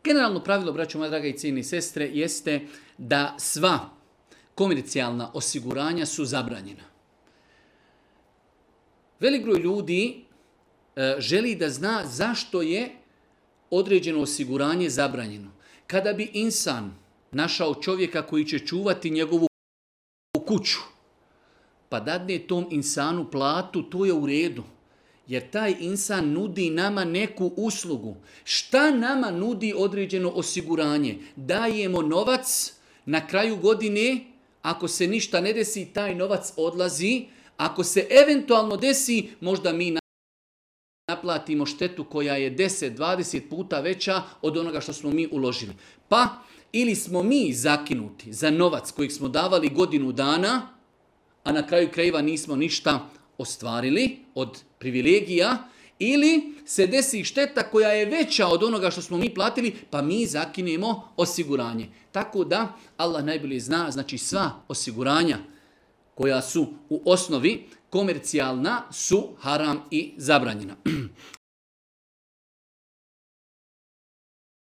Generalno pravilo, braćo moja draga i cijene sestre, jeste da sva komercijalna osiguranja su zabranjena. Velik broj ljudi želi da zna zašto je određeno osiguranje zabranjeno. Kada bi insan našao čovjeka koji će čuvati njegovu kuću, pa dadne tom insanu platu, to je u redu. Jer taj insan nudi nama neku uslugu. Šta nama nudi određeno osiguranje? Dajemo novac, na kraju godine, ako se ništa ne desi, taj novac odlazi. Ako se eventualno desi, možda mi naplatimo štetu koja je 10-20 puta veća od onoga što smo mi uložili. Pa, ili smo mi zakinuti za novac kojeg smo davali godinu dana, a na kraju krajeva nismo ništa ostvarili od privilegija, ili se desi šteta koja je veća od onoga što smo mi platili, pa mi zakinemo osiguranje. Tako da, Allah najbolje zna, znači sva osiguranja koja su u osnovi komercijalna su haram i zabranjena.